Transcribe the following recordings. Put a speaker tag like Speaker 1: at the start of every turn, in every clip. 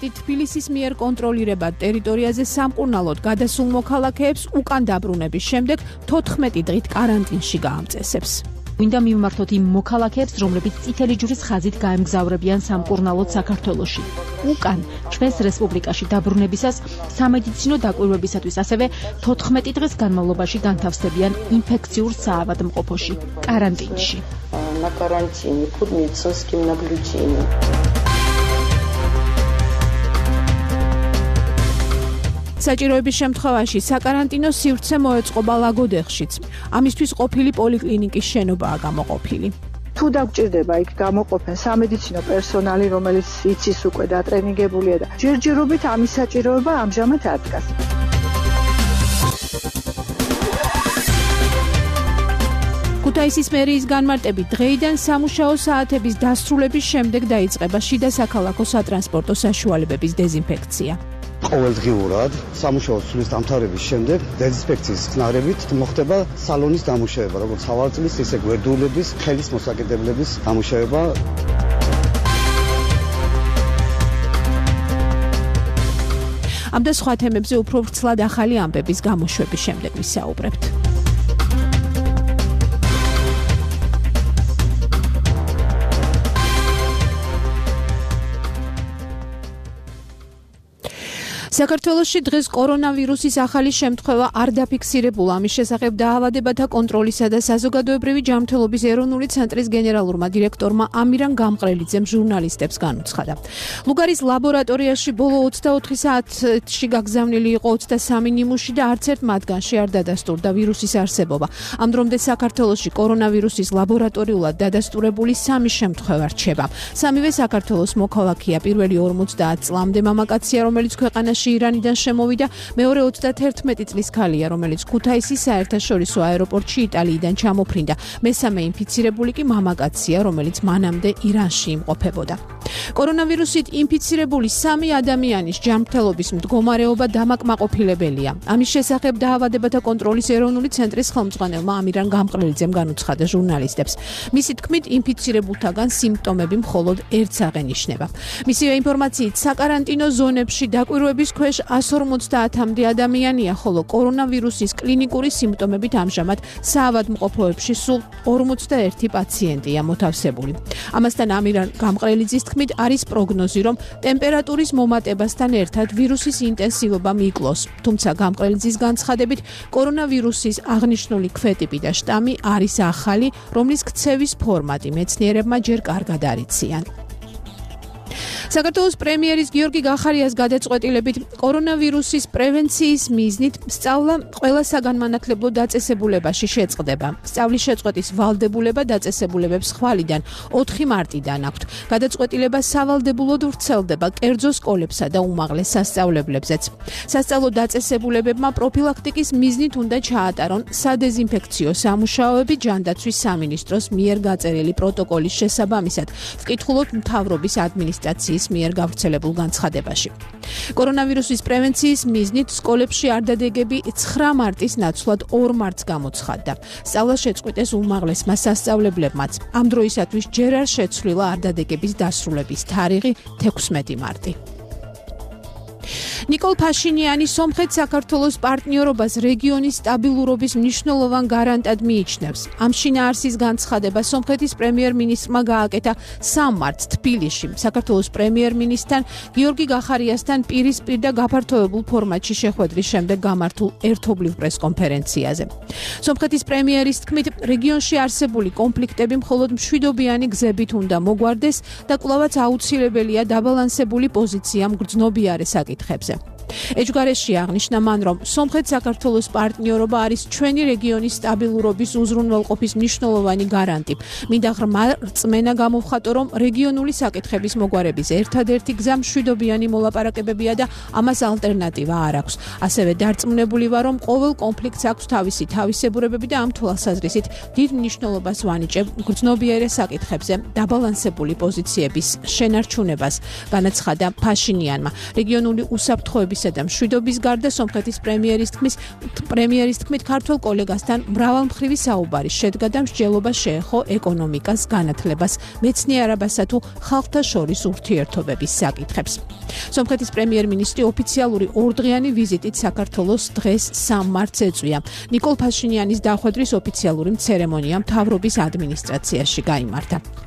Speaker 1: პრეზიდენტი თბილისის მიერ კონტროლირებად ტერიტორიაზე სამკურნალოდ გადასულ მოქალაქეებს უკან დაბრუნების შემდეგ 14 დღით კარანტინში გაამწესებს.
Speaker 2: Მინდა მივმართოთ იმ მოქალაქეებს, რომლებიც წითელი ჯვრის ხაზით გაემგზავრებიან სამკურნალოდ საქართველოში. უკან ჩვენს რესპუბლიკაში დაბრუნებისას სამედიცინო დაკვირვებისათვის ასევე 14 დღის განმავლობაში განთავსდებიან ინფექციურ საავადმყოფოში, კარანტინში.
Speaker 3: На карантине под медицинским наблюдением.
Speaker 1: საჭიროების შემთხვევაში საკარანტინო სივრცე მოეწყობა ლაგოდეხშიც. ამისთვის ყოფილი პოლიკლინიკის შენობაა გამოყოფილი.
Speaker 4: თუ დაგჭირდება იქ გამოყოფენ სამედიცინო პერსონალი, რომელიც იცის უკვე დატრენინგებულია და ჯერჯერობით ამის საჭიროება ამჟამად არ დგას.
Speaker 1: ქუთაისის მერიის განმარტებით დღეიდან სამუშაო საათების დასრულების შემდეგ დაიწყება შიდა საქალაქო სატრანსპორტო საშუალებების დეზინფექცია.
Speaker 5: ყოველდღიურად სამუშაო სრულის დამთავრების შემდეგ დეზინფექციის ხსნარებით მოხდება სალონის დამუშავება, როგორც სავარწლის, ისე გვერდულების, ხელის მოსაკიდებლების დამუშავება.
Speaker 1: ამ და სხვა თემებზე უფრო ვრცლად ახალი ამბების გამოშვების შემდეგ ვისაუბრებთ. საქართველოში დღეს კორონავირუსის ახალი შემთხვევა არ დაფიქსირებულა. ამის შესახებ დაავადებათა კონტროლისა და საზოგადოებრივი ჯანმრთელობის ეროვნული ცენტრის გენერალურმა დირექტორმა ამირან გამყრელიძემ ჟურნალისტებს განუცხადა. ლუგარის ლაბორატორიაში ბოლო 24 საათში გაგზავნილი იყო 23 ნიმუში და არც ერთ მათგანში არ დადასტურდა ვირუსის არსებობა. ამ დრომდე საქართველოში კორონავირუსის ლაბორატორიულად დადასტურებული 3 შემთხვევა რჩება. სამივე საქართველოს მოქალაქეა. პირველი 50 წლამდე მამაკაცია, რომელიც ქვეყანაში ირანიდან შემოვიდა, მეორე 31 წლის ქალია, რომელიც ქუთაისის საერთაშორისო აეროპორტში იტალიიდან ჩამოფრინდა. მესამე ინფიცირებული კი მამაკაცია, რომელიც მანამდე ირანში იმყოფებოდა. კორონავირუსით ინფიცირებული 3 ადამიანის ჯანმრთელობის მდგომარეობა დამაკმაყოფილებელია. ამის შესახებ დაავადებათა კონტროლის ეროვნული ცენტრის ხელმძღვანელმა ამირან გამყრელიძემ განუცხადა ჟურნალისტებს. მისი თქმით, ინფიცირებულთაგან სიმპტომები მხოლოდ ერთს აღენიშნება. მისივე ინფორმაციით, საკარანტინო ზონებში დაკვირვების ქვეშ 150-მდე ადამიანია, ხოლო კორონავირუსის კლინიკური სიმპტომებით ამჟამად საავადმყოფოებში სულ 41 პაციენტია მოთავსებული. ამასთან ამირან გამყრელიძის თქმით, არის პროგნოზი, რომ ტემპერატურის მომატებასთან ერთად ვირუსის ინტენსივობა მიკლოს. თუმცა გამყრელიძის განცხადებით, კორონავირუსის აღნიშნული ქვეტიპი და შტამი არის ახალი, რომლის ქცევის ფორმატი მეცნიერებმა ჯერ კარგად არ იციან. საქართველოს პრემიერის გიორგი გახარიას გადაწყვეტილებით კორონავირუსის პრევენციის მიზნით სწავლა ყველა საგანმანათლებლო დაწესებულებაში შეწყდება. სწავლის შეწყვეტის ვალდებულება დაწესებულებებს ხვალიდან 4 მარტიდან აქვთ. გადაწყვეტილება სავალდებულოდ ვრცელდება კერძო სკოლებსა და უმაღლეს სასწავლებლებზეც. სასწავლო დაწესებულებებმა პროფილაქტიკის მიზნით უნდა ჩაატარონ სადეზინფექციო სამუშაოები ჯანდაცვის სამინისტროს მიერ გაწერილი პროტოკოლის შესაბამისად, ვკითხულობთ მთავრობის ადმინისტრაციის მიერ გავრცელებულ განცხადებაში. კორონავირუსის პრევენციის მიზნით სკოლებში არდადეგები 9 მარტის ნაცვლად 2 მარტს გამოცხადდა. სწავლა შეწყვიტეს უმაღლესმა სასწავლებლებმაც. ამ დროისათვის ჯერ არ შეცვლილა არდადეგების დასრულების თარიღი 16 მარტი. ნიკოლ ფაშინიანი სომხეთ საქართველოს პარტნიორობას რეგიონის სტაბილურობის მნიშვნელოვან გარანტად მიიჩნევს. ამ შინაარსის განცხადება სომხეთის პრემიერ-მინისტრმა გააკეთა 3 მარტს თბილისში, საქართველოს პრემიერ-მინისტრთან გიორგი გახარიასთან პირისპირ და გაფართოებულ ფორმატში შეხვედრის შემდეგ გამართულ ერთობლივ პრესკონფერენციაზე. სომხეთის პრემიერის თქმით, რეგიონში არსებული კონფლიქტები მხოლოდ მშვიდობიანი გზებით უნდა მოგვარდეს და კვლავაც აუცილებელია დაბალანსებული პოზიცია მგრძნობიარე საკითხებზე. ეჯგარეში აღნიშნა მან, რომ სომხეთ-საქართველოს პარტნიორობა არის ჩვენი რეგიონის სტაბილურობის უზრუნველყოფის მნიშვნელოვანი გარანტი. მინდა ღრმა რწმენა გამოვხატო, რომ რეგიონული საკითხების მოგვარების ერთადერთი გზა მშვიდობიანი მოლაპარაკებებია და ამას ალტერნატივა არ აქვს. ასევე დარწმუნებული ვარ, რომ ყოველ კონფლიქტს აქვს თავისი თავისებურებები და ამ თვალსაზრისით დიდ მნიშვნელობას ვანიჭებ მგრძნობიარე საკითხებზე დაბალანსებული პოზიციების შენარჩუნებას, განაცხადა ფაშინიანმა. რეგიონული უსაფრთხოების ბრალდებისა და მშვიდობის გარდა სომხეთის პრემიერის თქმით ქართველ კოლეგასთან მრავალმხრივი საუბარი შედგა და მსჯელობა შეეხო ეკონომიკას, განათლებას, მეცნიერებასა თუ ხალხთა შორის ურთიერთობების საკითხებს. სომხეთის პრემიერ-მინისტრი ოფიციალური ორდღიანი ვიზიტით საქართველოს დღეს 3 მარტს ეწვია. ნიკოლ ფაშინიანის დახვედრის ოფიციალური ცერემონია მთავრობის ადმინისტრაციაში გაიმართა.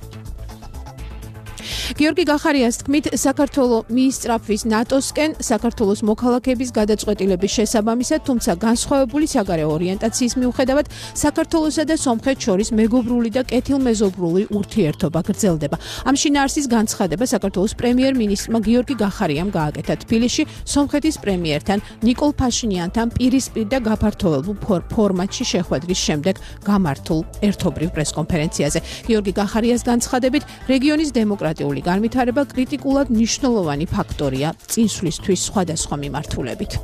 Speaker 1: გიორგი გახარიას თქმით, საქართველოს მიისწრაფვის ნატოსკენ საქართველოს მოქალაქეების გადაწყვეტილების შესაბამისად, თუმცა განსხვავებული საგარეო ორიენტაციის მიუხედავად, საქართველოსა და სომხეთს შორის მეგობრული და კეთილმეზობლური ურთიერთობა გრძელდება. ამ შინაარსის განცხადება საქართველოს პრემიერ-მინისტრმა გიორგი გახარიამ გააკეთა თბილისში სომხეთის პრემიერთან ნიკოლ ფაშინიანთან პირისპირ და გაფართოებულ ფორმატში შეხვედრის შემდეგ გამართულ ერთობრივ პრესკონფერენციაზე. გიორგი გახარიას განცხადებით, რეგიონის დემოკრატიული განვითარება კრიტიკულად მნიშვნელოვანი ფაქტორია წინსვლისთვის სხვადასხვა მიმართულებით.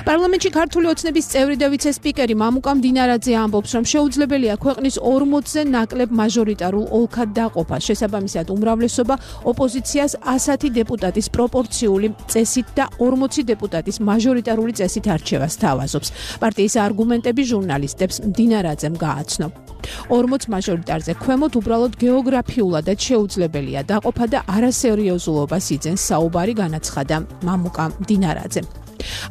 Speaker 1: პარლამენტში ქართული ოცნების წევრი და ვიცე-სპიკერი მამუკა მდინარაძე ამბობს, რომ შეუძლებელია ქვეყნის 40-ზე ნაკლებ მაჟორიტარულ ოლქად დაყოფა. შესაბამისად, უმრავლესობა ოპოზიციას 100 დეპუტატის პროპორციული წესით და 40 დეპუტატის მაჟორიტარული წესით არჩევას თავაზობს. პარტიის არგუმენტები ჟურნალისტებს მდინარაძემ გააცნო. 40 მაჟორიტარზე ქვემოთ უბრალოდ გეოგრაფიულადაც შეუძლებელია დაყოფა და არასერიოზულობას იძენს საუბარი, განაცხადა მამუკა მდინარაძემ.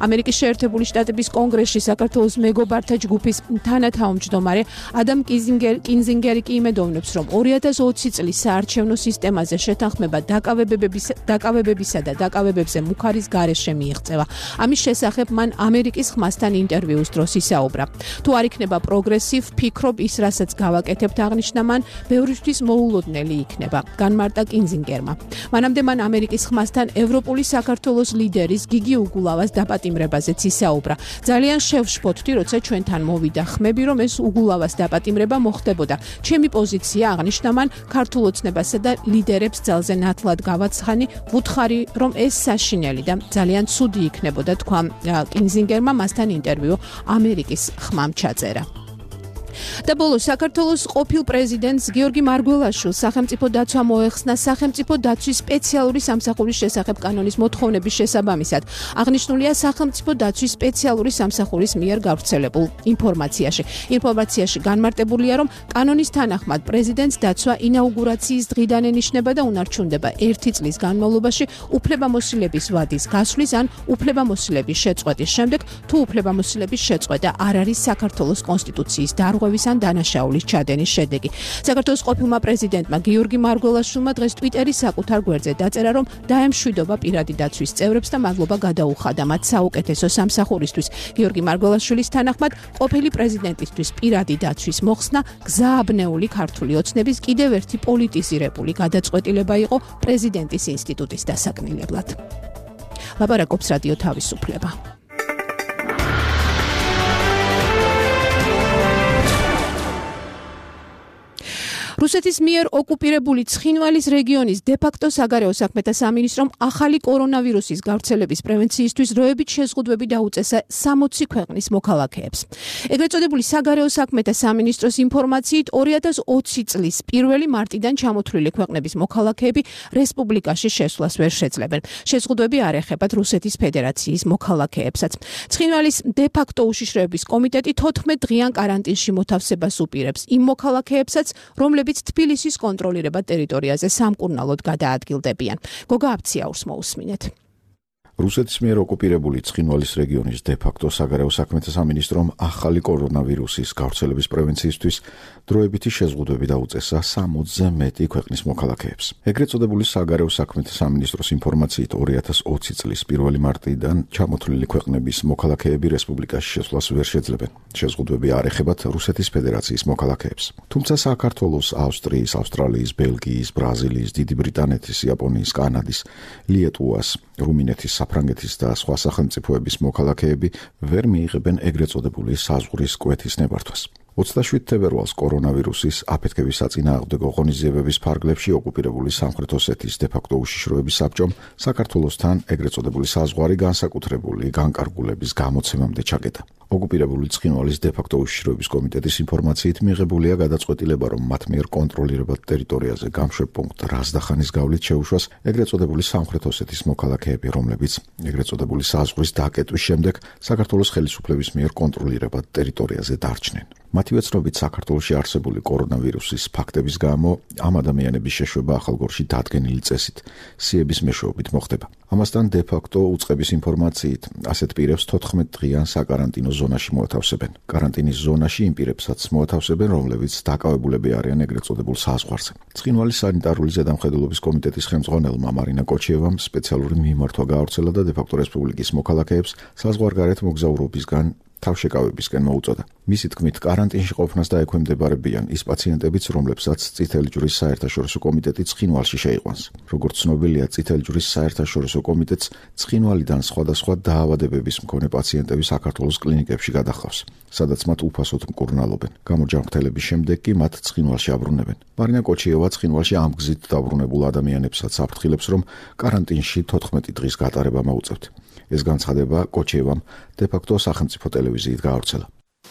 Speaker 1: ამერიკის შეერთებული შტატების კონგრესში საქართველოს მეგობართა ჯგუფის თანათავმჯდომარე ადამ კინზინგერი კი იმედოვნებს, რომ 2020 წლის საარჩევნო სისტემაზე შეთანხმება დაკავებებისა და დაკავებებზე მუხარის გარეშე მიიღწევა. ამის შესახებ მან ამერიკის ხმასთან ინტერვიუს დროს ისაუბრა. თუ არ იქნება პროგრესივ, ფიქრობ ის, რასაც გავაკეთებთ, აღნიშნა მან, ბევრისთვის მოულოდნელი იქნება, განმარტა კინზინგერმა. მანამდე მან ამერიკის ხმასთან ევროპული საქართველოს ლიდერის გიგი უგულავას დაპატიმრებაზეც ისაუბრა. ძალიან შევშფოთდი, როცა ჩვენთან მოვიდა ხმები, რომ ეს უგულავას დაპატიმრება მოხდებოდა. ჩემი პოზიცია, აღნიშნა მან, ქართულ ოცნებასა და ლიდერებს ძალზე ნათლად გავაცხანი, ვუთხარი, რომ ეს საშინელი და ძალიან ცუდი იქნებოდა, თქვა კინზინგერმა მასთან ინტერვიუ ამერიკის ხმამ ჩაწერა. და ბოლოს საქართველოს ყოფილ პრეზიდენტს გიორგი მარგველაშვილს სახელმწიფო დაცვა მოეხსნა სახელმწიფო დაცვის სპეციალური სამსახურის შესახებ კანონის მოთხოვნების შესაბამისად. აღნიშნულია სახელმწიფო დაცვის სპეციალური სამსახურის მიერ გავრცელებულ ინფორმაციაში. ინფორმაციაში განმარტებულია, რომ კანონის თანახმად პრეზიდენტს დაცვა ინაუგურაციის დღიდან ენიშნება და უნარჩუნდება 1 წლის განმავლობაში უფლებამოსილების ვადის გასვლის ან უფლებამოსილების შეწყვეტის შემდეგ, თუ უფლებამოსილების შეწყვეტა არ არის საქართველოს კონსტიტუციის დარღვევის ან დანაშაულის ჩადენის შედეგი. საქართველოს ყოფილმა პრეზიდენტმა გიორგი მარგველაშვილმა დღეს ტვიტერის საკუთარ გვერდზე დაწერა, რომ დაემშვიდობა პირადი დაცვის წევრებს და მადლობა გადაუხადა მათ საუკეთესო სამსახურისთვის. გიორგი მარგველაშვილის თანახმად, ყოფილი პრეზიდენტისთვის პირადი დაცვის მოხსნა გზააბნეული ქართული ოცნების კიდევ ერთი პოლიტიზირებული გადაწყვეტილება იყო პრეზიდენტის ინსტიტუტის დასაკნინებლად. ლაპარაკობს რადიო თავისუფლება. რუსეთის მიერ ოკუპირებული ცხინვალის რეგიონის დე-ფაქტო საგარეო საქმეთა სამინისტრომ ახალი კორონავირუსის გავრცელების პრევენციისთვის დროებით შეზღუდვები დაუწესა 60 ქვეყნის მოქალაქეებს. ეგრეთ წოდებული საგარეო საქმეთა სამინისტროს ინფორმაციით 2020 წლის 1 მარტიდან ჩამოთვლილი ქვეყნების მოქალაქეები რესპუბლიკაში შესვლას ვერ შეძლებენ. შეზღუდვები არ ეხებათ რუსეთის ფედერაციის მოქალაქეებსაც. ცხინვალის დე-ფაქტო უშიშროების კომიტეტი 14 დღიან კარანტინში მოთავსებას უპირებს იმ მოქალაქეებსაც, რომლებიც თბილისის კონტროლირება ტერიტორიაზე სამკურნალოდ გადაადგილდებიან. გოგა აფციაურს მოусმინეთ.
Speaker 6: რუსეთის მიერ ოკუპირებული ცხინვალის რეგიონის დე-ფაქტო საგარეო საქმეთა სამინისტრომ ახალი კორონავირუსის გავრცელების პრევენციისთვის დროებითი შეზღუდვები დაუწესა 60-ზე მეტი ქვეყნის მოქალაქეებს. ეგრეთ წოდებული საგარეო საქმეთა სამინისტროს ინფორმაციით 2020 წლის 1 მარტიდან ჩამოთვლილი ქვეყნების მოქალაქეები რესპუბლიკაში შესვლას ვერ შეძლებენ. შეზღუდვები არ ეხებათ რუსეთის ფედერაციის მოქალაქეებს. თუმცა საქართველოს, ავსტრიის, ავსტრალიის, ბელგიის, ბრაზილიის, დიდი ბრიტანეთის, იაპონიის, კანადის, ლიეტუვას, რუმინეთის, საფრანგეთის და სხვა სახელმწიფოების მოქალაქეები ვერ მიიღებენ ეგრეთ წოდებული საზღვრის კვეთის ნებართვას. 27 თებერვალს კორონავირუსის აფეთქების საწინააღმდეგო ღონისძიებების ფარგლებში ოკუპირებული სამხრეთ ოსეთის დე-ფაქტო უშიშროების საბჭომ საქართველოსთან ეგრეთ წოდებული საზღვარი განსაკუთრებული განკარგულების გამოცემამდე ჩაკეტა. ოკუპირებული ცხინვალის დე-ფაქტო უშიშროების კომიტეტის ინფორმაციით მიღებულია გადაწყვეტილება, რომ მათ მიერ კონტროლირებად ტერიტორიაზე გამშვებ პუნქტ რაზდახანის გავლით შეუშვას ეგრეთ წოდებული სამხრეთ ოსეთის მოქალაქეები, რომლებიც ეგრეთ წოდებული საზღვრის დაკეტვის შემდეგ საქართველოს ხელისუფლების მიერ კონტროლირებად ტერიტორიაზე დარჩნენ. მათივე ცნობით საქართველოში არსებული კორონავირუსის ფაქტების გამო ამ ადამიანების შეშვება ახალგორში დადგენილი წესით სიების მეშვეობით მოხდება. ამასთან დე-ფაქტო უწყების ინფორმაციით ასეთ პირებს 14 დღიან საკარანტინო ზონაში მოათავსებენ. კარანტინის ზონაში იმ პირებსაც მოათავსებენ, რომლებიც დაკავებულები არიან ეგრეთ წოდებულ საზღვარზე. ცხინვალის სანიტარული ზედამხედველობის კომიტეტის ხელმძღვანელმა მარინა კოჩიევამ სპეციალური მიმართვა გაავრცელა და დე-ფაქტო რესპუბლიკის მოქალაქეებს საზღვარგარეთ მოგზაურობისგან თავშეკავებისკენ მოუწოდა. მისი თქმით, კარანტინში ყოფნას დაექვემდებარებიან ის პაციენტებიც, რომლებსაც წითელი ჯვრის საერთაშორისო კომიტეტი ცხინვალში შეიყვანს. როგორც ცნობილია, წითელი ჯვრის საერთაშორისო კომიტეტს ცხინვალიდან სხვადასხვა დაავადებების მქონე პაციენტები საქართველოს კლინიკებში გადახავს, სადაც მათ უფასოდ მკურნალობენ. გამორჯამრთელების შემდეგ კი მათ ცხინვალში აბრუნებენ. მარინა კოჩიევა ცხინვალში ამ გზით დაბრუნებულ ადამიანებსაც საფრთხილებს, რომ კარანტინში 14 დღის გატარება მოუწევთ. ეს განცხადება კოჩიევამ დე-ფაქტო სახელმწიფო ტელევიზიით გაავრცელა.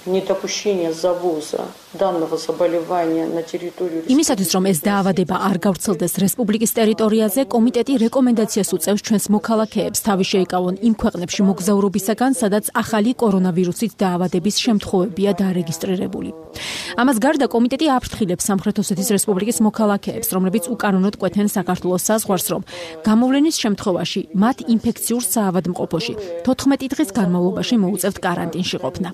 Speaker 3: Недопущение завоза данного заболевания на территорию
Speaker 2: იმისათვის, რომ ეს დაავადება არ გავრცელდეს რესპუბლიკის ტერიტორიაზე, კომიტეტი რეკომენდაციას უწევს ჩვენს მოქალაქეებს თავი შეიკავონ იმ ქვეყნებში მოგზაურობისაგან, სადაც ახალი კორონავირუსით დაავადების შემთხვევებია დარეგისტრირებული. ამას გარდა კომიტეტი აფრთხილებს სამხრეთ ოსეთის რესპუბლიკის მოქალაქეებს, რომლებიც უკანონოდ კვეთენ საქართველოს საზღვარს, რომ გამოვლენის შემთხვევაში მათ ინფექციურ საავადმყოფოში 14 დღის განმავლობაში მოუწევთ კარანტინში ყოფნა.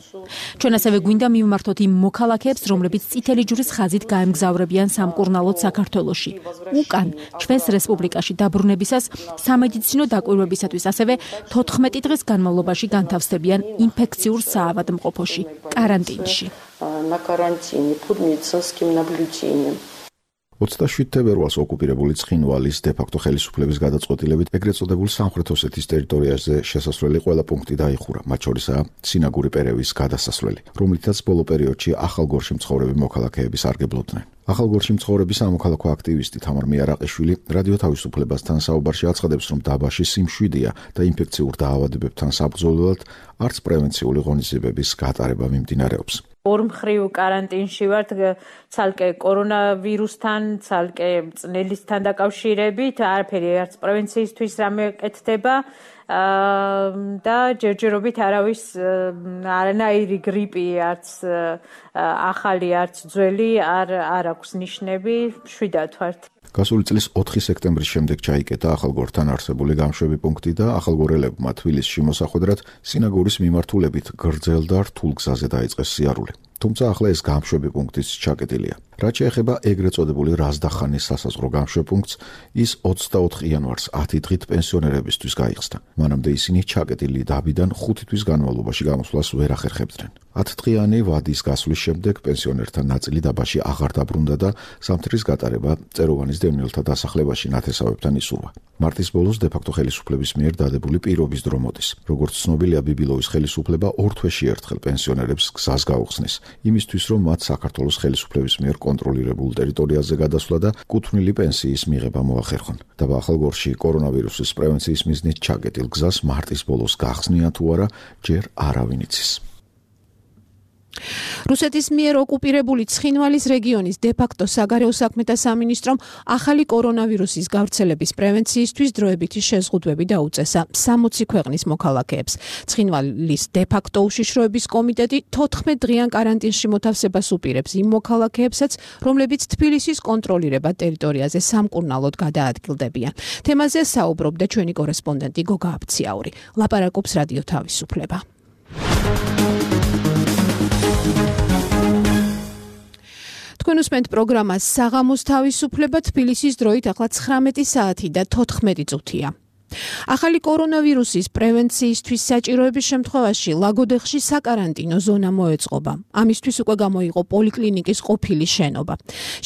Speaker 2: ჩვენ ასევე გვინდა მივმართოთ იმ მოქალაქეებს, რომლებიც წითელი ჯვრის ხაზით გაემგზავრებიან სამკურნალოდ საქართველოში. უკან ჩვენს რესპუბლიკაში დაბრუნებისას სამედიცინო დაკვირვებისათვის ასევე 14 დღის განმავლობაში განთავსდებიან ინფექციურ საავადმყოფოში, კარანტინში.
Speaker 3: На карантине под медицинским наблюдением.
Speaker 6: 27 თებერვალს ოკუპირებული ცხინვალის დე-ფაქტო ხელისუფლების გადაწყვეტილებით ეგრეთ წოდებულ სამხრეთ ოსეთის ტერიტორიაზე შესასვლელი ყველა პუნქტი დაიხურა, მათ შორისაა სინაგური პერევის გადასასვლელი, რომლითაც ბოლო პერიოდში ახალგორში მცხოვრები მოქალაქეები სარგებლობდნენ. ახალგორში მცხოვრები სამოქალაქო აქტივისტი თამარ მიარაყიშვილი რადიო თავისუფლებასთან საუბარში აცხადებს, რომ დაბაში სიმშვიდეა და ინფექციურ დაავადებებთან საბრძოლველად არც პრევენციული ღონისძიებების გატარება მიმდინარეობს.
Speaker 7: ორმხრივ კარანტინში ვართ ცალკე კორონავირუსთან, ცალკე წნელისთან დაკავშირებით, არაფერი არც პრევენციისთვის რამე კეთდება და ჯერჯერობით არავის არანაირი გრიპი, არც ახალი, არც ძველი არ აქვს ნიშნები, მშვიდად ვართ.
Speaker 6: გასული წლის 4 სექტემბრის შემდეგ ჩაიკეტა ახალგორთან არსებული გამშვები პუნქტი და ახალგორელებმა თბილისში მოსახვედრად სინაგურის მიმართულებით გრძელ და რთულ გზაზე დაიწყეს სიარული. თუმცა ახლა ეს გამშვები პუნქტიც ჩაკეტილია. რაც შეეხება ეგრეთ წოდებული რაზდახანის სასაზღვრო გამშვებ პუნქტს, ის 24 იანვარს 10 დღით პენსიონერებისთვის გაიხსნა. მანამდე ისინი ჩაკეტილი დაბიდან 5 თვის განმავლობაში გამოსვლას ვერ ახერხებდნენ. 10 დღიანი ვადის გასვლის შემდეგ პენსიონერთა ნაწილი დაბაში აღარ დაბრუნდა და სამთრის გატარება წეროვანის დევნილთა დასახლებაში ნათესავებთან ისურვა. მარტის ბოლოს დე-ფაქტო ხელისუფლების მიერ დადებული პირობის დრო მოდის. როგორც ცნობილია, ბიბილოვის ხელისუფლება ორ თვეში ერთხელ პენსიონერებს გზას გაუხსნის, იმისთვის რომ მათ საქართველოს ხელისუფლების მიერ კონტროლირებულ ტერიტორიაზე გადასვლა და კუთვნილი პენსიის მიღება მოახერხონ. დაბა ახალგორში კორონავირუსის პრევენციის მიზნით ჩაკეტილ გზას მარტის ბოლოს გახსნიან თუ არა, ჯერ არავინ იცის.
Speaker 1: რუსეთის მიერ ოკუპირებული ცხინვალის რეგიონის დე-ფაქტო საგარეო საქმეთა სამინისტრომ ახალი კორონავირუსის გავრცელების პრევენციისთვის დროებითი შეზღუდვები დაუწესა 60 ქვეყნის მოქალაქეებს. ცხინვალის დე-ფაქტო უშიშროების კომიტეტი 14 დღიან კარანტინში მოთავსებას უპირებს იმ მოქალაქეებსაც, რომლებიც თბილისის კონტროლირებად ტერიტორიაზე სამკურნალოდ გადაადგილდებიან. თემაზე საუბრობდა ჩვენი კორესპონდენტი გოგა აბციაური. ლაპარაკობს რადიო თავისუფლება. თქვენ უსმენთ პროგრამას საღამოს თავისუფლება, თბილისის დროით ახლა 19 საათი და 14 წუთია. ახალი კორონავირუსის პრევენციისთვის საჭიროების შემთხვევაში ლაგოდეხში საკარანტინო ზონა მოეწყობა. ამისთვის უკვე გამოიყო პოლიკლინიკის ყოფილი შენობა.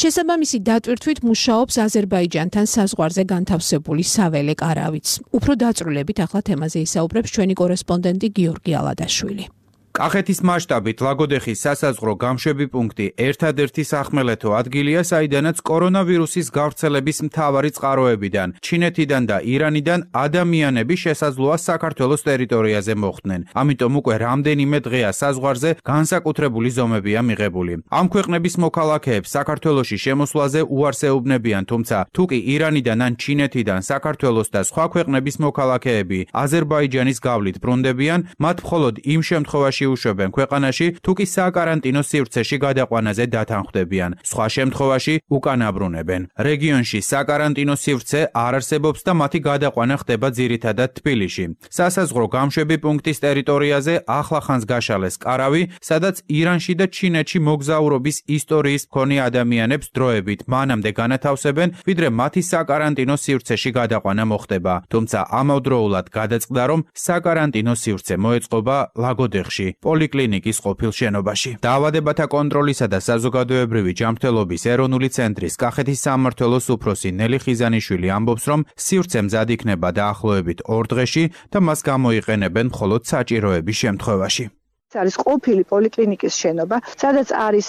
Speaker 1: შესაბამისი დატვირთვით მუშაობს აზერბაიჯანთან საზღვარზე განთავსებული საველე კარავიც. უფრო დაწვრილებით ახლა თემაზე ისაუბრებს ჩვენი კორესპონდენტი გიორგი ალადაშვილი.
Speaker 8: კახეთის მასშტაბით ლაგოდეხის სასაზღვრო გამშვები პუნქტი ერთადერთი სახმელეთო ადგილია, საიდანაც კორონავირუსის გავრცელების მთავარი წყაროებიდან, ჩინეთიდან და ირანიდან ადამიანები შესაძლოა საქართველოს ტერიტორიაზე მოხვდნენ. ამიტომ უკვე რამდენიმე დღეა საზღვარზე განსაკუთრებული ზომებია მიღებული. ამ ქვეყნების მოქალაქეებს საქართველოში შემოსვლაზე უარს ეუბნებიან, თუმცა თუ კი ირანიდან ან ჩინეთიდან საქართველოს და სხვა ქვეყნების მოქალაქეები აზერბაიჯანის გავლით ბრუნდებიან, მათ მხოლოდ იმ შემთხვევაში უშვებენ ქვეყანაში, თუ კი საკარანტინო სივრცეში გადაყვანაზე დათანხმდებიან. სხვა შემთხვევაში უკან აბრუნებენ. რეგიონში საკარანტინო სივრცე არ არსებობს და მათი გადაყვანა ხდება ძირითადად თბილისში. სასაზღვრო გამშვები პუნქტის ტერიტორიაზე ახლახანს გაშალეს კარავი, სადაც ირანში და ჩინეთში მოგზაურობის ისტორიის მქონე ადამიანებს დროებით მანამდე განათავსებენ, ვიდრე მათი საკარანტინო სივრცეში გადაყვანა მოხდება. თუმცა ამავდროულად გადაწყდა, რომ საკარანტინო სივრცე მოეწყობა ლაგოდეხში, პოლიკლინიკის ყოფილ შენობაში. დაავადებათა კონტროლისა და საზოგადოებრივი ჯანმრთელობის ეროვნული ცენტრის კახეთის სამმართველოს უფროსი ნელი ხიზანიშვილი ამბობს, რომ სივრცე მზად იქნება დაახლოებით 2 დღეში და მას გამოიყენებენ მხოლოდ საჭიროების შემთხვევაში.
Speaker 4: არის ყოფილი პოლიკლინიკის შენობა, სადაც არის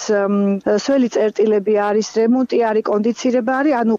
Speaker 4: სველი წერტილები, არის რემონტი, არის კონდიცირება, არის, ანუ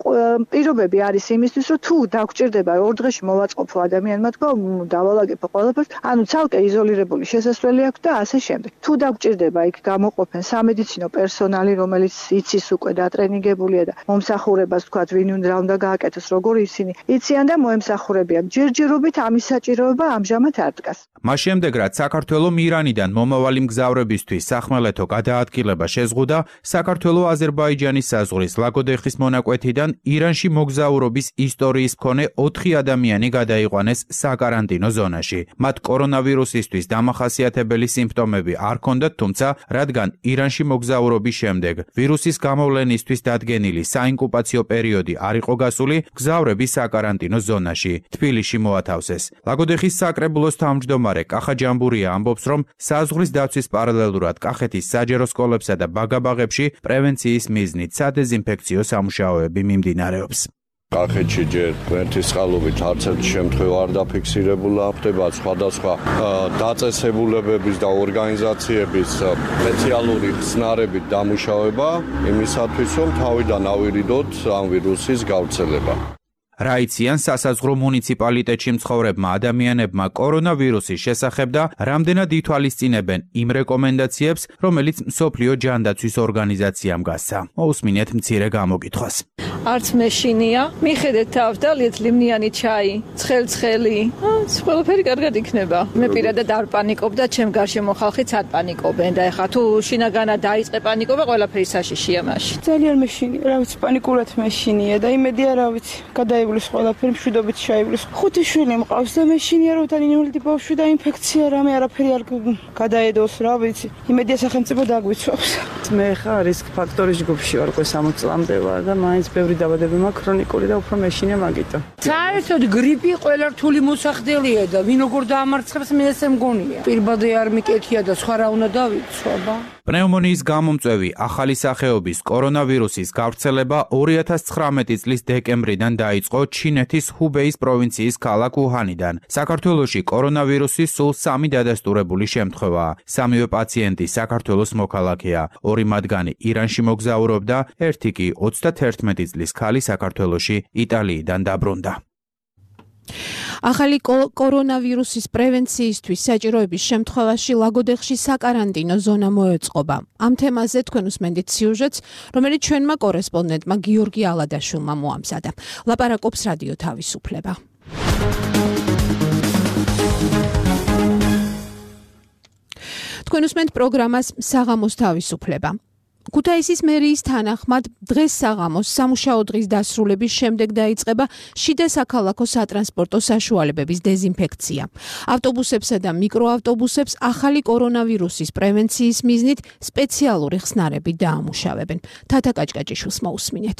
Speaker 4: პირობები არის იმისთვის, რომ თუ დაგჭირდება 2 დღეში მოვაწყობო ადამიანმა თქვა, დავალაგებო ყველაფერს, ანუ ცალკე იზოლირებული შესასვლელი აქვს და ასე შემდეგ. თუ დაგჭირდება იქ გამოყოფენ სამედიცინო პერსონალი, რომელიც იცის უკვე დატრენინგებულია და მომსახურებას თქვა, ვინ უნდა გააკეთოს, როგორ ისინი იციან და მოემსახურებიან. ჯერჯერობით ამის საჭიროება ამჟამად არ დგას.
Speaker 8: მას შემდეგ, რაც საქართველოს ირანიდან მომავალი მგზავრებისთვის სახმელეთო გადაადგილება შეზღუდა, საქართველოს-აზერბაიჯანის საზღვრის ლაგოდეხის მონაკვეთიდან ირანში მოგზაურობის ისტორიის მქონე 4 ადამიანი გადაიყვანეს საკარანტინო ზონაში. მათ კორონავირუსისთვის დამახასიათებელი სიმპტომები არ ჰქონდათ, თუმცა რადგან ირანში მოგზაურობის შემდეგ ვირუსის გამოვლენისთვის დადგენილი საინკუბაციო პერიოდი არ იყო გასული, მგზავრები საკარანტინო ზონაში თბილისში მოათავსეს. ლაგოდეხის საკრებულოს თავმჯდომარე კახა ჯამბურია ამბობს, რომ საზღვრის დაცვის პარალელურად კახეთის საჯარო სკოლებსა და ბაგაბაღებში პრევენციის მიზნით სადეზინფექციო სამუშაოები მიმდინარეობს.
Speaker 9: კახეთში ჯერ გვერდის წყალობით არც ერთი შემთხვევა არ დაფიქსირებულა, ხდება სხვადასხვა დაწესებულებების და ორგანიზაციების სპეციალური ხსნარებით დამუშავება იმისათვის, რომ თავიდან ავირიდოთ ამ ვირუსის გავრცელება.
Speaker 8: რაიციან სასაზღვრო მუნიციპალიტეტში მცხოვრებმა ადამიანებმა კორონავირუსის შესახებ და რამდენად ითვალისწინებენ იმ რეკომენდაციებს, რომელიც მსოფლიო ჯანდაცვის ორგანიზაციამ გასცა. მოусმინეთ მცირე გამოკითხვას.
Speaker 10: არც მეშინია, მიხედეთ თავს და ლიეთ ლიმნიანი ჩაი, ცხელ-ცხელი. ყველაფერი კარგად იქნება. მე პირადად არ პანიკობ და ჩემ გარშემო ხალხიც არ პანიკობენ და ეხლა თუ შინაგანად დაიწყე პანიკობა, ყველაფერი საშიშია მაშინ.
Speaker 11: ძალიან მეშინია, რა ვიცი, პანიკურად მეშინია და იმედია, რა ვიცი, გადაივლის ყველაფერი მშვიდობით შეივლის. 5 შვილი მყავს და მეშინია, რომ თან ინვალიდი ბავშვი და ინფექცია რამე არაფერი არ გადაედოს, რა ვიცი. იმედია სახელმწიფო დაგვიცვავს.
Speaker 12: მე ხა რისკ ფაქტორის ჯგუფში ვარ, უკვე 60 წლამდე ვარ და მაინც ბევრი დაბადებები მაქვს ქრონიკული და უფრო მეშინია მაგიტომ.
Speaker 13: საერთოდ გრიპი ყველა რთული მოსახდელია და ვინ როგორ დაამარცხებს მე ესე მგონია. პირბადე არ მიკეთია და სხვა რა უნდა დავიცვა.
Speaker 8: პნევმონიის გამომწვევი ახალი სახეობის კორონავირუსის გავრცელება 2019 წლის დეკემბრიდან დაიწყო ჩინეთის ჰუბეის პროვინციის ქალაქ უჰანიდან. საქართველოში კორონავირუსის სულ 3 დადასტურებული შემთხვევაა. 3-ვე პაციენტი საქართველოს მოქალაქეა. 2 მათგანი ირანში მოგზაურობდა, 1 კი 31 წლის ქალი საქართველოში იტალიიდან დაბრუნდა.
Speaker 1: ახალი კორონავირუსის პრევენციისთვის საჭიროების შემთხვევაში ლაგოდეხში საკარანტინო ზონა მოეწყობა. ამ თემაზე თქვენ უსმენთ სიუჟეტს, რომელიც ჩვენმა კორესპონდენტმა გიორგი ალადაშვილმა მოამზადა. ლაპარაკობს რადიო თავისუფლება. თქვენ უსმენთ პროგრამას საღამოს თავისუფლება. ქუთაისის მერიის თანახმად დღეს საღამოს სამუშაო დღის დასრულების შემდეგ დაიწყება შიდა საქალაქო სატრანსპორტო საშუალებების დეზინფექცია. ავტობუსებსა და მიკროავტობუსებს ახალი კორონავირუსის პრევენციის მიზნით სპეციალური ხსნარები დაამუშავებენ. თათა კაჭკაჭიშვილს მოусმინეთ.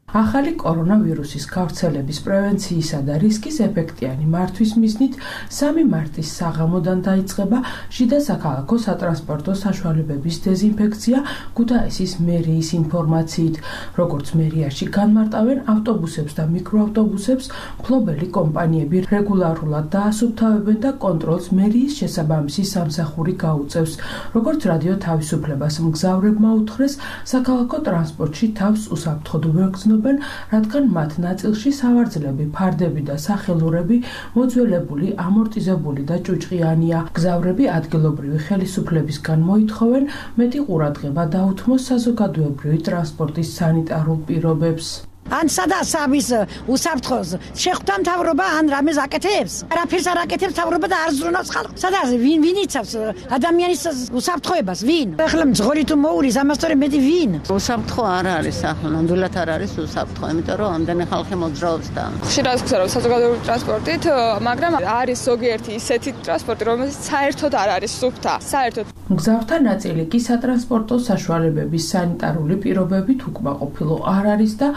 Speaker 14: ახალი კორონავირუსის გავრცელების პრევენციისა და რისკის ეფექტიანი მართვის მიზნით 3 მარტის საღამოდან დაიწყება შიდა საქალაქო სატრანსპორტო საშუალებების დეზინფექცია ქუთაისის მერიის ინფორმაციით. როგორც მერიაში განმარტავენ ავტობუსებს და მიკროავტობუსებს მფლობელი კომპანიები რეგულარულად დაასუფთავებენ და კონტროლს მერიის შესაბამისი სამსახური გაუწევს. როგორც რადიო თავისუფლებას მგზავრებმა უთხრეს, საქალაქო ტრანსპორტში თავს უსაფრთხოდ ვერ გრძნობენ, რადგან მათ ნაწილში სავარძლები, ფარდები და სახელურები მოძველებული, ამორტიზებული და ჭუჭყიანია. მგზავრები ადგილობრივი ხელისუფლებისგან მოითხოვენ მეტი ყურადღება დაუთმოს საზოგადოებრივი ტრანსპორტის სანიტარულ პირობებს.
Speaker 15: ან სადაც ამის უსაფრთხოს შეხვდა მთავრობა ან რამეს აკეთებს არაფერს არ აკეთებს მთავრობა და არ ზრუნავს ხალხს სადაც ვინ იცავს ადამიანის უსაფრთხოებას ვინ ახლა მძღოლი თუ მოურის ამასთორე მეტი ვინ
Speaker 16: უსაფრთხო არ არის ახლა ნამდვილად არ არის უსაფრთხო იმიტომ რომ ამდენი ხალხი მოძრაობს და
Speaker 10: ხშირად გვცემენ საზოგადოებრივი ტრანსპორტით მაგრამ არის ზოგიერთი ისეთი ტრანსპორტი რომელიც საერთოდ არ არის სუფთა საერთოდ
Speaker 14: მგზავრთა ნაწილი კი სატრანსპორტო საშუალებების სანიტარული პირობებით უკმაყოფილო არ არის და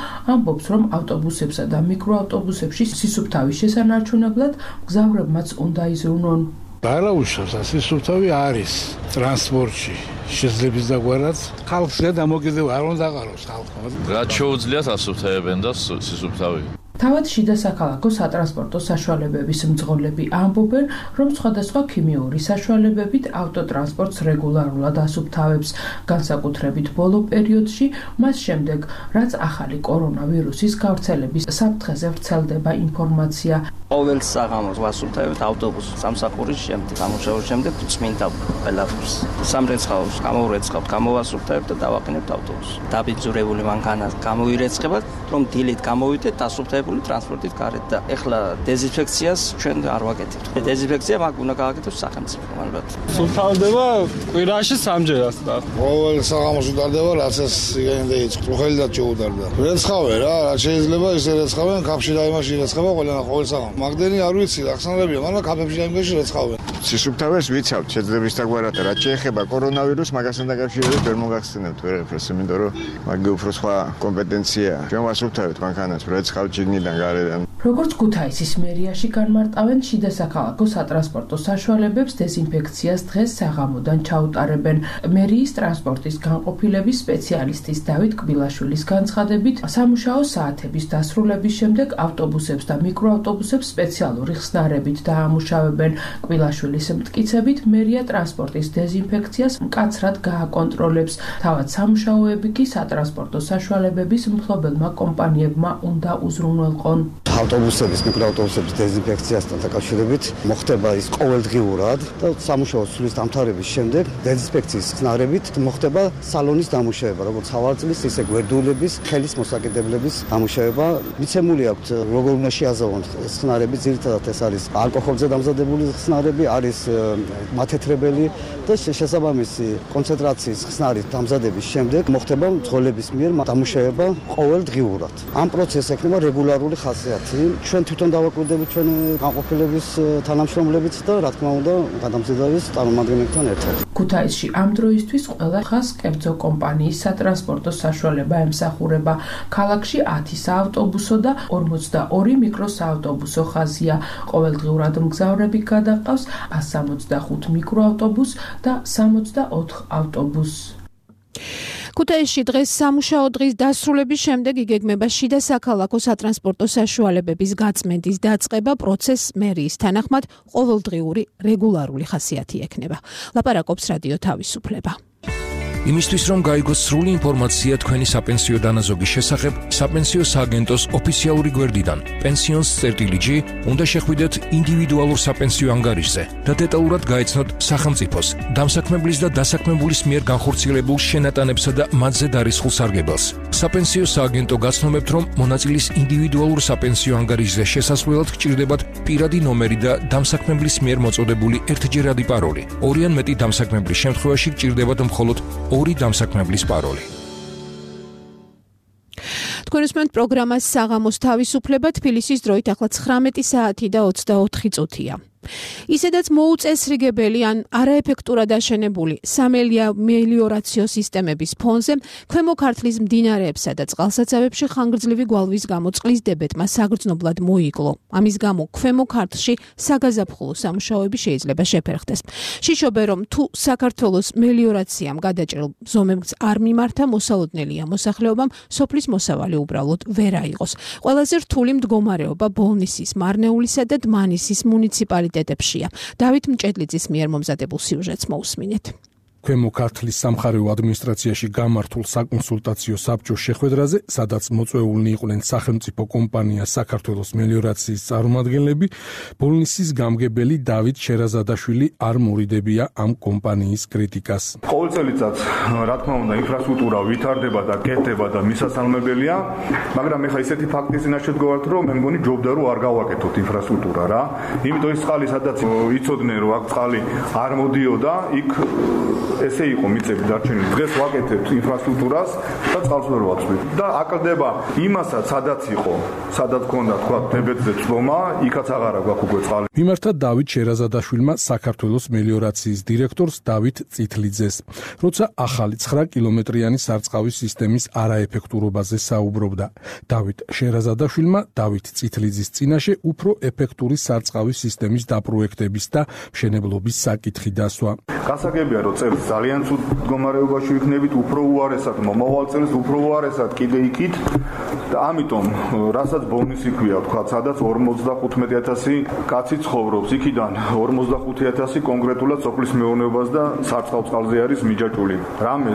Speaker 14: ამბობს, რომ ავტობუსებსა და მიკროავტობუსებში სისუფთავის შესანარჩუნებლად მგზავრებმაც უნდა იზრუნონ.
Speaker 17: ბარაუშავს სისუფთავი არის ტრანსპორტში შესაძლებელი დაგვარად ხალხს გადამოკიდებ არ უნდა აყაროს ხალხმა.
Speaker 18: რაც შეუძლიათ ასუფთავებენ და სისუფთავი.
Speaker 14: თავად შიდა საქალაქო სატრანსპორტო საშუალებების მძღოლები ამბობენ, რომ სხვადასხვა ქიმიური საშუალებებით ავტოტრანსპორტს რეგულარულად ასუფთავებს, განსაკუთრებით ბოლო პერიოდში, მას შემდეგ, რაც ახალი კორონავირუსის გავრცელების საფრთხეზე ვრცელდება ინფორმაცია.
Speaker 19: ყოველ საღამოს ვასუფთავებთ ავტობუსს სამსახურის შემდეგ, სამუშაოს შემდეგ წმინდა ყველაფერს. სამრეცხაოს გამოვრეცხავთ, გამოვასუფთავებთ და დავაყენებთ ავტობუსს. დაბიძურებული მანქანას გამოვირეცხებთ, რომ დილით გამოვიდეთ დასუფთავებთ ტრანსპორტით გარეთ და ეხლა დეზინფექციას ჩვენ არ ვაკეთებთ. დეზინფექცია მაგ უნდა გააკეთოს სახელმწიფო ალბათ.
Speaker 20: სუფთავდება კვირაში 3-ჯერ და
Speaker 17: ყოველ საღამოს უტარდება, რაც ეს იგენდა წუხელიდან შეუტარდა. რეცხავენ რა, რაც შეიძლება ისე რეცხავენ, კაფში და იმაში რეცხავენ ყოველ საღამოს. მაგდენი არ ვიცი, ახსნებია, მაგრამ კაფებში და იმაში რეცხავენ.
Speaker 21: სისუფთავეს ვიცავთ, შეძლების დაგვარად რაც შეეხება კორონავირუსს, მაგასთან დაკავშირებით ვერ მოგახსენებთ ვერაფერს, იმიტომ რომ მაგი უფრო სხვა კომპეტენციაა. ჩვენ ვასუფთავებთ მანქანას, რეცხავთ შიგნიდან გარედან.
Speaker 14: როგორც ქუთაისის მერიაში განმარტავენ, შიდა საქალაქო სატრანსპორტო საშუალებებს დეზინფექციას დღეს საღამოდან ჩაუტარებენ. მერიის ტრანსპორტის განყოფილების სპეციალისტის დავით კბილაშვილის განცხადებით, სამუშაო საათების დასრულების შემდეგ ავტობუსებს და მიკროავტობუსებს სპეციალური ხსნარებით დაამუშავებენ. კბილაშვილის მტკიცებით, მერია ტრანსპორტის დეზინფექციას მკაცრად გააკონტროლებს. თავად სამუშაოები კი სატრანსპორტო საშუალებების მფლობელმა კომპანიებმა უნდა უზრუნველყონ.
Speaker 5: ავტობუსების, მიკროავტობუსების დეზინფექციასთან დაკავშირებით მოხდება ის ყოველდღიურად და სამუშაო სრულის დამთავრების შემდეგ დეზინფექციის ხსნარებით მოხდება სალონის დამუშავება, როგორც სავარძლის, ისე გვერდულების, ხელის მოსაკიდებლების დამუშავება. მიცემული აქვთ როგორ უნდა შეაზავონ ხსნარები, ძირითადად ეს არის ალკოჰოლზე დამზადებული ხსნარები, არის მათეთრებელი და შესაბამისი კონცენტრაციის ხსნარით დამზადების შემდეგ მოხდება მძღოლების მიერ დამუშავება ყოველდღიურად. ამ პროცესს ექნება რეგულარული ხასიათი. ჩვენ თვითონ დავაკვირდებით ჩვენ განყოფილების თანამშრომლებით და რა თქმა უნდა გადამზადების წარმომადგენლებთან ერთად.
Speaker 14: ქუთაისში ამ დროისთვის ყველა ხას კერძო კომპანიის სატრანსპორტო საშუალება ემსახურება. ქალაქში 10 საავტობუსო და 42 მიკროსაავტობუსო ხაზია. ყოველდღიურად მგზავრები გადაყავს 165 მიკროავტობუსს და 64 ავტობუსს.
Speaker 1: ქუთაისში დღეს სამუშაო დღის დასრულების შემდეგ იგეგმება შიდა საქალაქო სატრანსპორტო საშუალებების გაწმენდის დაწყება. პროცესს მერიის თანახმად ყოველდღიური რეგულარული ხასიათი ექნება. ლაპარაკობს რადიო თავისუფლება.
Speaker 22: იმისთვის რომ გაიგოს სრული ინფორმაცია თქვენი საპენსიო დანაზოგის შესახებ, საპენსიო სააგენტოს ოფიციალური გვერდიდან pensions.gr უნდა შეხვიდეთ ინდივიდუალურ საპენსიო ანგარიშზე და დეტალურად გაეცნოთ სახელმწიფოს, დამსაქმებლის და დასაქმებულის მიერ განხორციელებულ შენატანებსა და მათზე დარისხულ სარგებელს. საპენსიო სააგენტო გაცნობებთ, რომ მონაწილის ინდივიდუალურ საპენსიო ანგარიშზე შესასვლელად გჭირდებათ პირადი ნომერი და დამსაქმებლის მიერ მოწოდებული ერთჯერადი პაროლი. ორი ან მეტი დამსაქმებლის შემთხვევაში გჭირდებათ მხოლოდ ორი დამსაქმებლის პაროლი.
Speaker 1: თქვენ უსმენთ პროგრამას საღამოს თავისუფლება, თბილისის დროით ახლა 19 საათი და 24 წუთია. ისედაც მოუწესრიგებელი ან არაეფექტურად აშენებული სამელიორაციო სისტემების ფონზე ქვემო ქართლის მდინარეებსა და წყალსაცავებში ხანგრძლივი გვალვის გამო წყლის დებეტმა საგრძნობლად მოიკლო. ამის გამო ქვემო ქართლში საგაზაფხულო სამუშაოები შეიძლება შეფერხდეს. შიშობენ, რომ თუ საქართველოს მელიორაციამ გადაჭრილ ზომებს არ მიმართა, მოსალოდნელია მოსახლეობამ სოფლის მოსავალი უბრალოდ ვერ აიღოს. ყველაზე რთული მდგომარეობა ბოლნისის, მარნეულისა და დმანისის მუნიციპალიტეტებშია. დავით მჭედლიძის მიერ მომზადებულ სიუჟეტს მოусმინეთ.
Speaker 2: ქვემო ქართლის სამხარეო ადმინისტრაციაში გამართულ საკონსულტაციო საბჭოს შეხვედრაზე, სადაც მოწვეულნი იყვნენ სახელმწიფო კომპანია საქართველოს მელიორაციის წარმომადგენლები, ბოლნისის გამგებელი დავით შერაზადაშვილი არ მორიდებია ამ კომპანიის კრიტიკას.
Speaker 3: ყოველ წელიწადს, რა თქმა უნდა, ინფრასტრუქტურა ვითარდება და კეთდება და მისასალმებელია, მაგრამ ეხლა ისეთი ფაქტის წინაშე ვდგავართ, რომ მე მგონი ჯობდა რომ არ გავაკეთოთ ინფრასტრუქტურა რა. იმიტომ ის წყალი, სადაც იცოდნენ რომ აქ წყალი არ მოდიოდა, იქ ესე იყო მიწები დარჩენილი. დღეს ვაკეთებთ ინფრასტრუქტურას და წყალს ვერ ვაცვლით. და აკლდება იმასაც, სადაც იყო, სადაც ქონდა თქვა დებეტზე წვომა, იქაც აღარა გვაქვს უკვე წყალი.
Speaker 2: მიმართა დავით შერაზადაშვილმა საქართველოს მელიორაციის დირექტორს დავით წითლიძეს, როცა ახალი 9 კილომეტრიანი სარწყავის სისტემის არაეფექტურობაზე საუბრობდა. დავით შერაზადაშვილმა დავით წითლიძის წინაშე უფრო ეფექტური სარწყავის სისტემის დაპროექტების და მშენებლობის საკითხი დასვა.
Speaker 3: გასაგებია, რომ წელს ძალიან ცუდ მდგომარეობაში ვიქნებით, უფრო უარესად მომავალ წელს უფრო უარესად კიდე იქით და ამიტომ რასაც ბონუსი ქვია, თქვა, სადაც 55,000 კაცი ცხოვრობს, იქიდან 45,000 კონკრეტულად სოფლის მეურნეობას და სარწყავ წყალზე არის მიჯაჭვული. რამე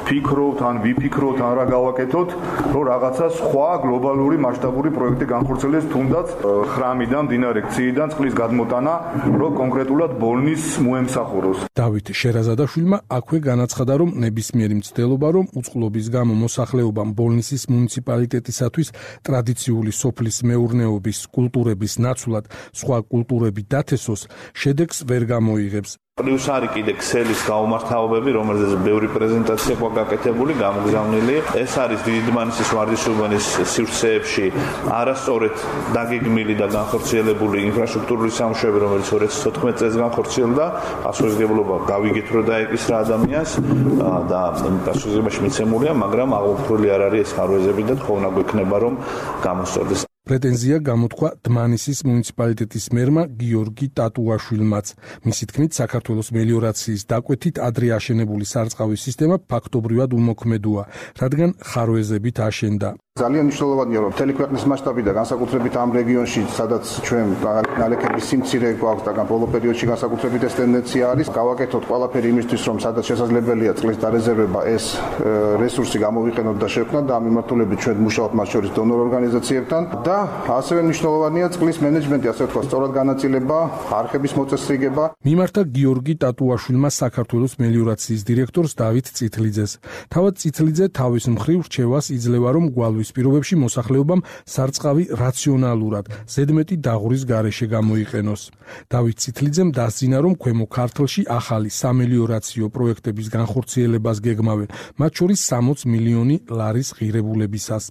Speaker 3: ფიქრობთ ან ვიფიქროთ ან რა გავაკეთოთ, რომ რაღაცა სხვა გლობალური მასშტაბური პროექტი განხორციელდეს, თუნდაც ხრამიდან, მდინარე ქციიდან წყლის გადმოტანა, რომ კონკრეტულად ბოლნის მოემსახუროს.
Speaker 2: დავით შერაზადაშვილმა აქვე განაცხადა, რომ ნებისმიერი მცდელობა, რომ უწყლობის გამო მოსახლეობამ ბოლნისის მუნიციპალიტეტისათვის ტრადიციული სოფლის მეურნეობის კულტურების ნაცვლად სხვა კულტურები დათესოს, შედეგს ვერ გამოიღებს.
Speaker 23: პლუს არის კიდე ქსელის გაუმართავებები, რომელზეც ბევრი პრეზენტაცია გვაკეთებული, გამოგზავნილი. ეს არის დიდმანისის ვარდისუბანის სივრცეებში არასწორად დაგეგმილი და განხორციელებული ინფრასტრუქტურული სამუშაოები, რომელიც 2014 წელს განხორციელდა. პასუხისმგებლობა გავიგეთ, რომ დაეკისრა ადამიანს და პასუხისმგებლობაში მიცემულია, მაგრამ აღუქმრული არ არის ეს ხარვეზები და თხოვნა გვექნება, რომ გამოსწორდეს.
Speaker 2: პრეტენზია გამოთქვა დმანისის მუნიციპალიტეტის მერმა გიორგი ტატუაშვილმაც. მისი თქმით, საქართველოს მელიორაციის დაკვეთით ადრე აშენებული სარწყავის სისტემა ფაქტობრივად უმოქმედოა, რადგან ხარვეზებით აშენდა.
Speaker 24: ძალიან მნიშვნელოვანია, რომ მთელი ქვეყნის მასშტაბიდან განსაკუთრებით ამ რეგიონში, სადაც ჩვენ ნალექების სიმცირე გვაქვს და ბოლო პერიოდში განსაკუთრებით ეს ტენდენცია არის, გავაკეთოთ ყველაფერი იმისთვის, რომ სადაც შესაძლებელია წყლის დარეზერვება, ეს რესურსი გამოვიყენოთ და შევქმნათ და ამ მიმართულებით ჩვენ მუშაობთ მათ შორის დონორ ორგანიზაციებთან და ასევე მნიშვნელოვანია წყლის მენეჯმენტი, ასე ვთქვათ, სწორად განაწილება, არხების მოწესრიგება.
Speaker 2: მიმართა გიორგი ტატუაშვილმა საქართველოს მელიორაციის დირექტორს დავით წითლიძეს. თავად წითლიძე თავის მხრივ რჩევას იძლევა, რომ გვალვის პირობებში მოსახლეობამ სარწყავი რაციონალურად, ზედმეტი დაღურის გარეშე გამოიყენოს. დავით წითლიძემ დასძინა, რომ ქვემო ქართლში ახალი სამელიორაციო პროექტების განხორციელებას გეგმავენ, მათ შორის 60 მილიონი ლარის ღირებულებისას.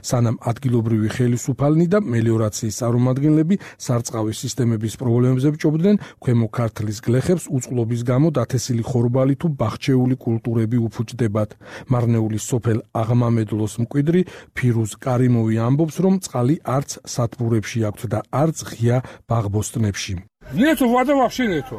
Speaker 2: სანამ ადგილობრივი ხელისუფალნი და მელიორაციის წარმომადგენლები სარწყავის სისტემების პრობლემებზე ბჭობდნენ, ქვემო ქართლის გლეხებს უწყლობის გამო დათესილი ხორბალი თუ ბახჩეული კულტურები უფუჭდებათ. მარნეულის სოფელ აღმამედლოს მკვიდრი ფირუზ კარიმოვი ამბობს, რომ წყალი არც სათბურებში აქვთ და არც ღია ბაღბოსტნებში.
Speaker 25: ნეტო ვადა ვაფშე ნეტო.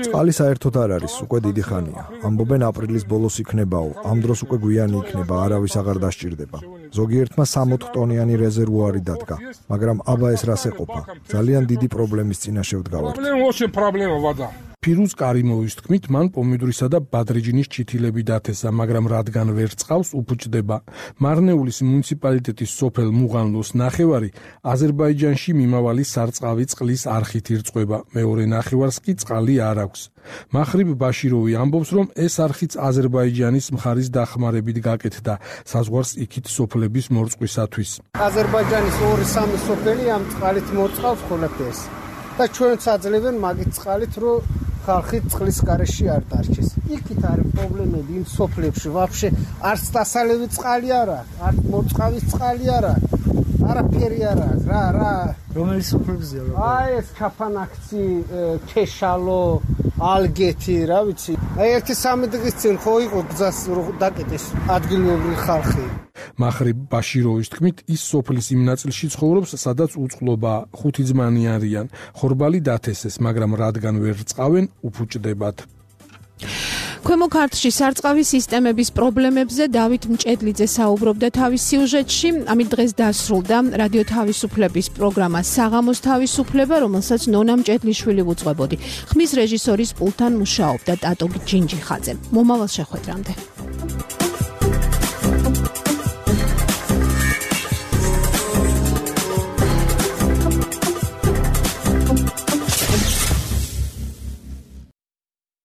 Speaker 26: წყალი საერთოდ არ არის, უკვე დიდი ხანია. ამბობენ აპრილის ბოლოს იქნებაო, ამ დროს უკვე გვიანი იქნება, არავის აღარ დასჭირდება. ზოგიერთმა 60 ტონიანი რეზერვუარი დადგა, მაგრამ აბა ეს რას ეყოფა? ძალიან დიდი პრობლემის წინაშე ვდგავართ.
Speaker 25: პრობლემა ვადა.
Speaker 2: ფირუზ კარიმოვის თქმით, მან პომიდრისა და ბადრიჯინის ჩითილები დათესა, მაგრამ რადგან ვერ წყავს, უფუჭდება. მარნეულის მუნიციპალიტეტის სოფელ მუღანლოს ნახევარი აზერბაიჯანში მიმავალი სარწყავი წყლის არხით ირწყვება, მეორე ნახევარს კი წყალი არ აქვს. მახრიბ ბაშიროვი ამბობს, რომ ეს არხიც აზერბაიჯანის მხარის დახმარებით გაკეთდა, საზღვარს იქით სოფლების მორწყვისათვის.
Speaker 27: აზერბაიჯანის 2-3 სოფელი ამ წყალით მოწყავს ყველაფერს და ჩვენც აძლევენ მაგით წყალით, რომ ხალხი წყლის გარეშე არ დარჩეს. იქით არის პრობლემები იმ სოფლებში, ვაფშე არც დასალევი წყალი არა, არც მოწყავის წყალი არა. არაფერი არ აქვს რა
Speaker 4: რომელი სოფლებზეა
Speaker 27: აი ეს ჩაფანაქცი ქეშალო ალგეთი რა ვიცი აი 1-3 დღის წინ ხო იყო გზას დაკეტეს ადგილობრივი ხალხი
Speaker 2: მახრი ბაშიროვის თქმით ის სოფლის იმ ნაწილში ცხოვრობს სადაც უწყლობა 5 ძმანი არიან ხორბალი დათესეს მაგრამ რადგან ვერ წყავენ უფუჭდებათ
Speaker 1: ქვემო ქართლში სარწყავი სისტემების პრობლემებზე დავით მჭედლიძე საუბრობდა თავის სიუჟეტში. ამით დღეს დასრულდა რადიო თავისუფლების პროგრამა საღამოს თავისუფლება, რომელსაც ნონა მჭედლიშვილი უძღვებოდი. ხმის რეჟისორის პულტთან მუშაობდა ტატო ჯინჯიხაძე. მომავალ შეხვედრამდე.